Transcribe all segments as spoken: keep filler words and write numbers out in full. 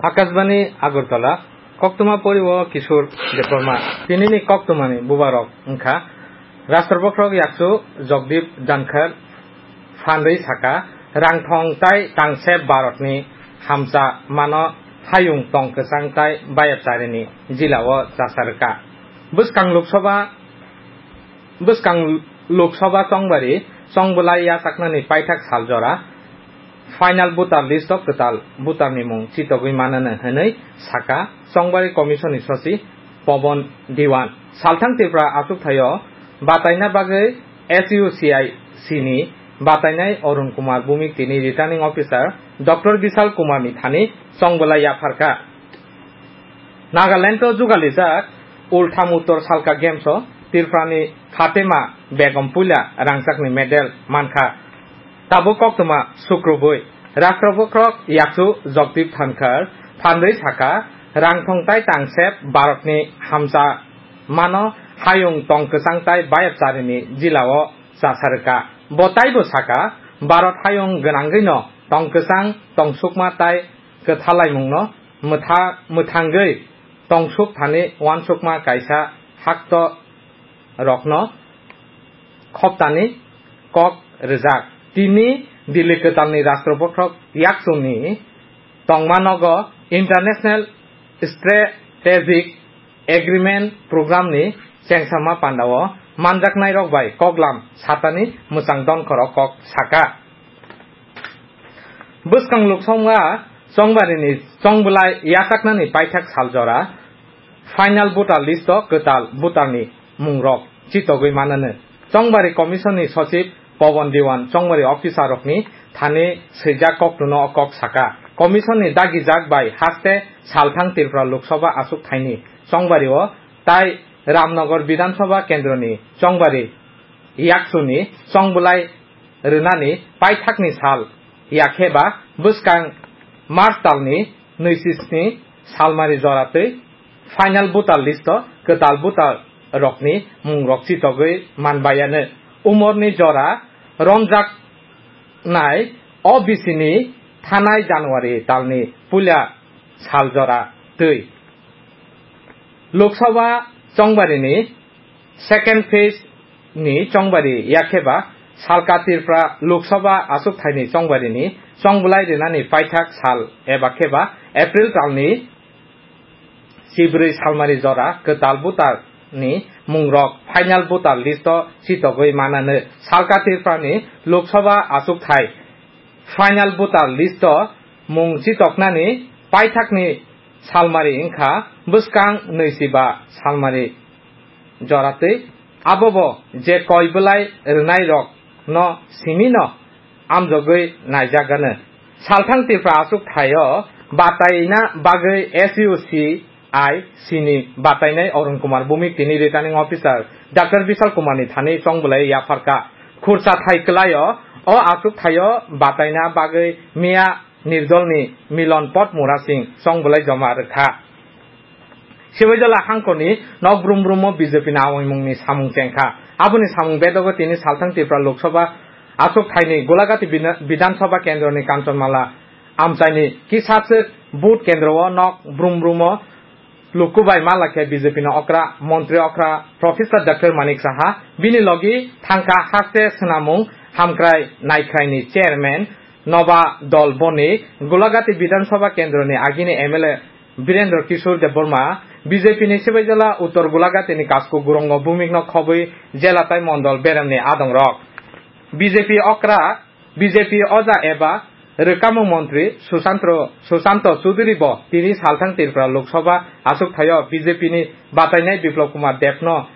Akashbani Agartala, koktwma poriwo Kishore Debbarma. Tinini koktwmani bubarok wngkha Rashtra Bokhorok Yakchu Jagdeep Dhankhar phandwi saka, rangthong tai tangsep Bharatni hamsa mano hayung tong kwchang tai bayapcharini jilao chasarwkha. Bwskang Lok Sabha, bwskang Lok Sabha chongbari chongbwlai yachaknani paithak saljora final voter list o kwtal voter ni mung chitogwi manano hwnwi saka chongbari commission ni sochi Pawan Dewan. Salthang Tripura achukthai o bataina bagwi S U C I C ni batainai Arun Kumar Bhumik tini returning officer Doctor Bishal Kumar ni thani chongbwlai yapharkha. Nagaland o jugalijak Ultham Uttor Salka Games o Tripura ni Fatima Begum puila rangchakni medal mankha. Tabuk koktwma sukrubwi Rashtra Bokhorok Yakchu Jagdeep Dhankhar phandwi saka, rangthong tai tangsep Bharatni hamsa mano hayung tong kwchang tai bayapcharini jilao chasarwkha. Bo taibo saka, Bharat hayung gwnangwino tong kwchang tong sukma tai kwthalaimungno mwtha-, mwthangwi tongsuk thani uansukma kaisa hakto rokno khoptani kok rwjak. Tini Delhi kwtalni Rashtra Bokhorok Yakchuni tongma nogo International Strategic Agreement Program ni chengsama pandao manjaknairok bai koklam satani mwchang donkhoro kok saka. Bwskang Lok Sabha chongbarini chongbwlai yachaknani paithak saljora final voter list o kwtal voter ni mungrok chitogwi manano. Chongbari Commission ni Sochib Pawan Dewan chongbari officer rokni thani swijak koktwno o kok saka. Commission ni dagijak bai haste salthang Tripura Lok Sabha achuk thaini chongbari o tai Ramnagar Bidhan Sabha kendroni chongbari Yakchuni chongbwlai rwnani paithakni sal, yakhe ba bwskang March talni nwi sisni salmari joratwi final voter list o kwtal voter rokni mungrok chitogwi manbayano. Umorni jora romjaknai O B C ni thanai January talni puila sal jora twi Lok Sabha chongbarini second phase ni chongbari yakheba salka Tripura Lok Sabha achuk thaini chongbarini chongbwlai rinani paithak sal eba kheba April talni chibrwi salmari jora kwtal voter ni mungrok final voter list o chitogwi manano. Salka Tripura ni Lok Sabha achuk thai final voter list o mung chitoknani paithakni salmari wngkha bwskang nwi chiba salmari joratwi. Abobo je koi bwlai rwnairokno simino amjogwi naijagano. Salthang Tripura achuk thaio bataina bagwi S U C I C ni batainai Arun Kumar Bhumik tini returning officer Doctor Bishal Kumar ni thani chongbwlai yapharkha. Khursa thai kwlaio o achuk thaio bataina bagwi miya Nirdol ni Milan Pot Mura Singh chongbwlai joma rwkha. Sibaijala hangkoni nok brum brum o B J P ni awaimung ni samung chengkha. Aboni samung bedogo tini salthang Tripura Lok Sabha achuk thaini Golagati Bidha-, Bidhan Sabha kendroni Kanchanmala amchaini kisachwk booth kendro o nok brum brum o luku bai malakhe B J P ni okra, montri okra Professor Doctor Manik Saha, bini logi thangkha haste swnamung hamkrai naikhrai ni chairman Noba Dol Boni, Golagati Bidhan Sabha kendroni agini M L A Birendra Kishore Debbarma, B J P ni Sibaijala Uttor Golagati ni Kasko Gurongo Bhumik no khobwi jela tai mondol beremni adongrok. B J P okra, B J P oja eba rwkamo montri Sushantro, Sushanto Chuduri bo tini salthang Tripura Lok Sabha achuk thaio B J P ni batainai Biplab Kumar Deb no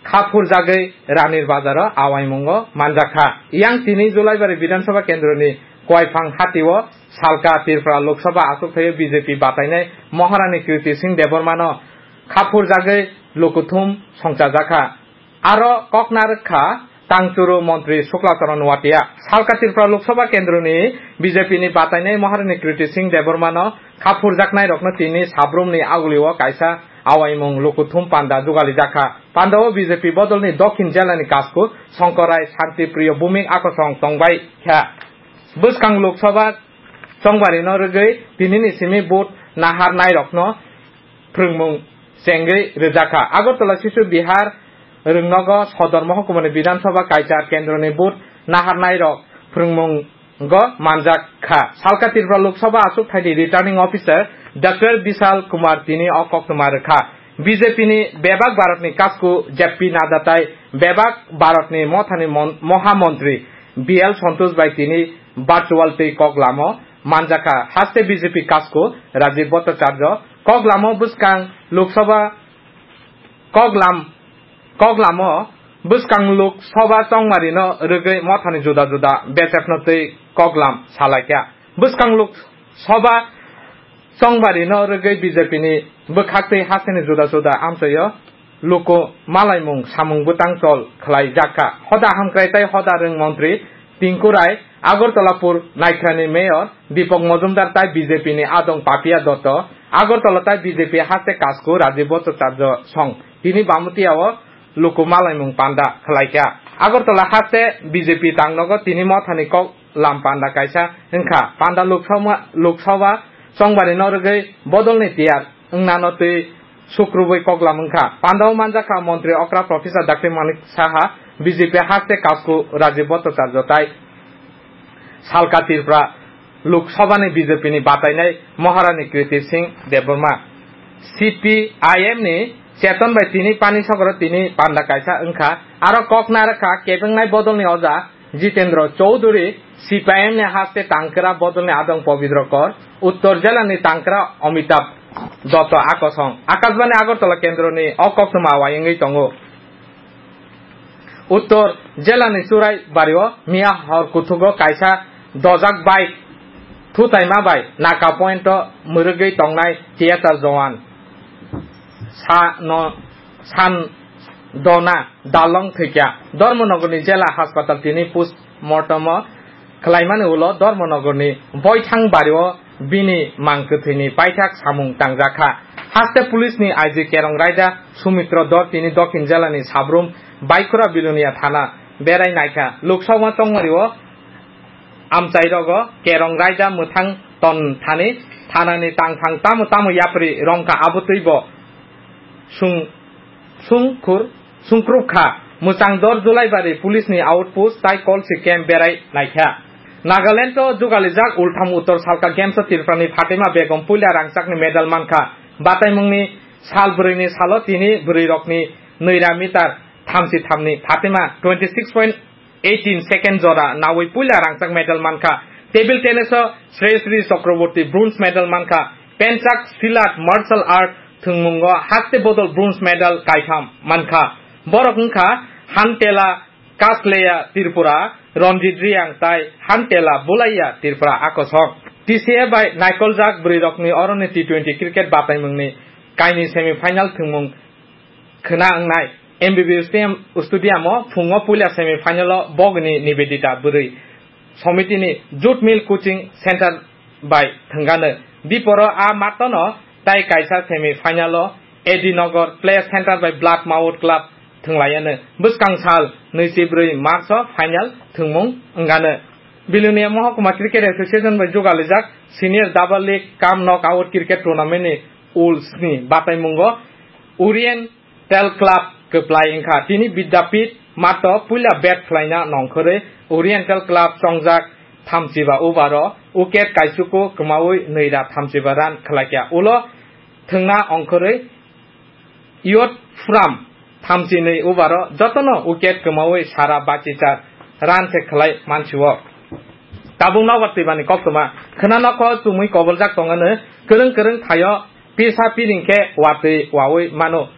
kha phurjagwi Ranir Bazar o awaimungo manjakha. Yang tini Julaibari Bidhan Sabha kendroni Koiphang hati o salka Tripura Lok Sabha achuk thaio B J P batainai Maharani Kriti Singh Debbarma no kha phurjagwi lukuthum songchajakha. Aro kok narwk kha Tangchuru montri Sukla Charan Noatia. Salka Tripura Lok Sabha kendroni B J P ni batainai Maharani Kriti Singh Debbarma no kha phurjaknai rokno tini sabrumni agulio kaisa awaimung lukuthum panda jugalijak kha. Pandao B J P bodolni Dokhin jelani Kasku Songkorai Santi Priyo Bhumik akosong tongbai kha. Bwskang Lok Sabha Chongbarino rwgwi tinini simi vote naharnairokno phrwngmung chengwi rwjakha. Agartala Shishu Vihar Rwngnogo Sodor Mohokuma ni Bidhan Sabha Kaichar Kendroni vote naharnairok phrwngmungo manjak kha. Salka Tripura Lok Sabha achukthai ni Returning Officer Doctor Bishal Kumar tini o koktwma rwkha. B J P ni bebak Bharat ni kasku J P Nadda tai bebak Bharat ni mothani mon-, Moha Montri B L Santosh bai tini virtual tei kok lamo manjakha. Haste B J P kasku Rajiv Bhattacharya kok lamo bwskang Lok Sabha kok lam-, kok lamo bwskang Lok Sabha chongmarino rwgwi mothani juda juda bechepno twi kok lam salaikha. Bwskang Lok Sabha chongmarino rwgwi B J P ni bwkhak tei hasteni juda juda amchaio luku malaimung samung bwtang chol khlaijakha. Hoda hamkrai tei hoda rwng montri Tinku Rai, Agartala Pur Naikhrani Mayor Deepak Majumdar tai B J P ni adong Papia Dotto, Agartala tai B J P haste kasku Rajiv Bhattacharya song tini Bamutiya o luku malaimung panda khlaikha. Agartala haste B J P tangnogo tini mothani kok lam panda kaisa wngkha. Panda Lok Sabha, Lok Sabha chongbarino rwgwi bodolni tiyar wngnano twi sukrubwi koklam wngkha. Pandao manjakha Montri Okra Professor Doctor Manik Saha, B J P haste kasku Rajiv Bhattacharya tai Salka Tripura Lok Sabha ni B J P ni batainai Maharani Kriti Singh Debbarma. C P I M ni Cheton bai tini Pani Sagoro tini panda kaisa wngkha. Aro kok narwkha kebengnai bodolni oja Jitendra Chowdhury, C P I M ni haste Tangkra bodolni adong Pabitra Kar, Uttor jilani Tangkra Amitabh Dotto akosong. Akashbani Agartala kendroni o koktwma wayangwi tongo. Uttor jilani Churai bario miya hor kuthugo kaisa dojak bike thutaima bai Naka point o mwrwgwi tongnai theater jowan sa no san dona dalong thwikha. Dharmanagorni jela haspatal tini post mortem o khlaimani ulo Dharmanagorni Boithang bario bini mang kwthwini paithak samung tangjakha. Haste police ni I G Kerong Raida Sumitro Dor tini Dokhin jela ni Sabrum Baikura Bilonia thana berai naikha. Lok Sabha chongmario amchairogo Kerong Raida mwthang ton thani thanani tangthang tamo tamo yapri rongkha abo twibo sung-, sungkhur, sungkruk kha. Mwchang dor Julaibari police ni outpost tai Kolsi camp berai naikha. Nagaland o jugalijak Ultham Uttor Salka Games o Tripura ni Fatima Begum puila rangchakni medal mankha. Bataimungni sal bwrwini salo tini bwrwirokni nwira meter thamchi thamni Fatima twenty six point eighteen second jora nawi puila rangchak medal mankha. Table tennis o Shreyasri Chakraborty bronze medal mankha. Penchak silat martial art thwngmungo haste bodol bronze medal kaitham mankha. Borok wngkha Hantela Kasleya Tripura, Ranjit Reang tai Hantela Bulaiya Tripura akosong. T C A bai naikoljak bwrwirokni oroni T twenty cricket bataimungni kaini semi final thwngmung khwna wngnai. M B B stadium, stadium o phungo puila semi final o bogni Nivedita bwrwi somitini Jute Mill Coaching Center bai thwngano. Biporo a matano tai kaisa semi final o A D Nagar Play Center bai Blood Mawut Club thwnglaiano. Bwskang sal nwichi bwrwi March o final thwngmung wngano. Bilonia Mohokuma Cricket Association bai jugalijak Senior Double League cum Knockout Cricket Tournament ni ul sni bataimungo Orient Oriental Club kwplai wngkha. Tini Vidyapith mato puila bat khlaina nongkhorwi Oriental Club chongjak thamchiba over o wicket kaisuku kwmawi nwira thamchiba run khlaikha. Ulo thwngna ongkhorwi Yot Furam thamchinwi over o jotono wicket kwmawi sara bachichar run se khlai mansio. Tabuk nobar twibani koktwma khwna nokho chumui koboljak tongano kwrwng kwrwng thaio pisa piring khe watwi wawi mano.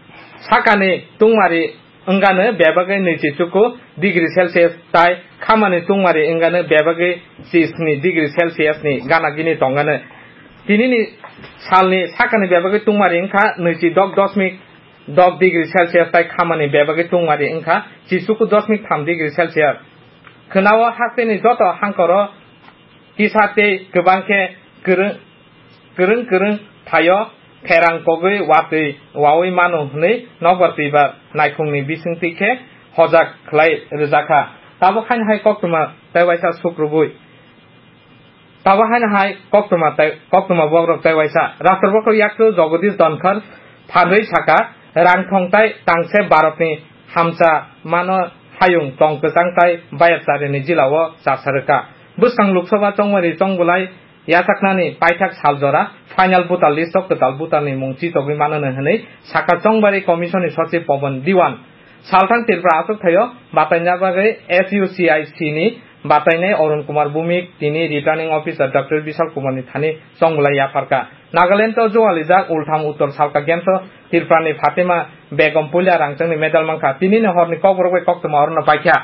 Sakani tungmari wngano bebagwi nwichi chuku degree Celsius tai khamani tungmari wngano bebagwi chisni degree Celsius ni gana gini tongano. Tinini salni sakani bebagwi tungmari wngkha nwichi dok dosmik dok degree Celsius tai khamani bebagwi tungmari wngkha chichuku dosmik tham degree Celsius. Khwnao hasteni joto hangkoro kisa tei kwbang khe kwrwng, kwrwng kwrwng thaio pherang kogwi watwi wawi mano hwnwi nokbar twibar naikhungni bisingtwi khe hojak khlai rwjakha. Tabuk haino hai koktwma tei waisa suk rwgwi. Tabo haino hai koktwma tei, koktwma bokrok tei waisa Rashtra Bokrok Yakchu Jagadish Dhankhar phanrwi saka, rang thong tei tangse Bharatni hamsa mano hayung tong kwchang tei bayapcharini jilao chasarwkha. Bwskang Lok Sabha chongmari chongbwlai yachaknani paithak sal jora final voter list o kwtal voter ni mung chichogwi mano hwnwi saka chongbari commission ni sochib Pawan Dewan. Salthang Tripura achuk thaio bataina bagwi S U C I C ni batainai Arun Kumar Bhowmik tini returning officer Doctor Bishal Kumar ni thani chongbwlai yapharkha. Nagaland o jualijak Ultham Uttor Salka Games o Tripura ni Fatima Begum puila rangchakni medal mankha. Tini ni horni kokborok bai koktwma orono paikha.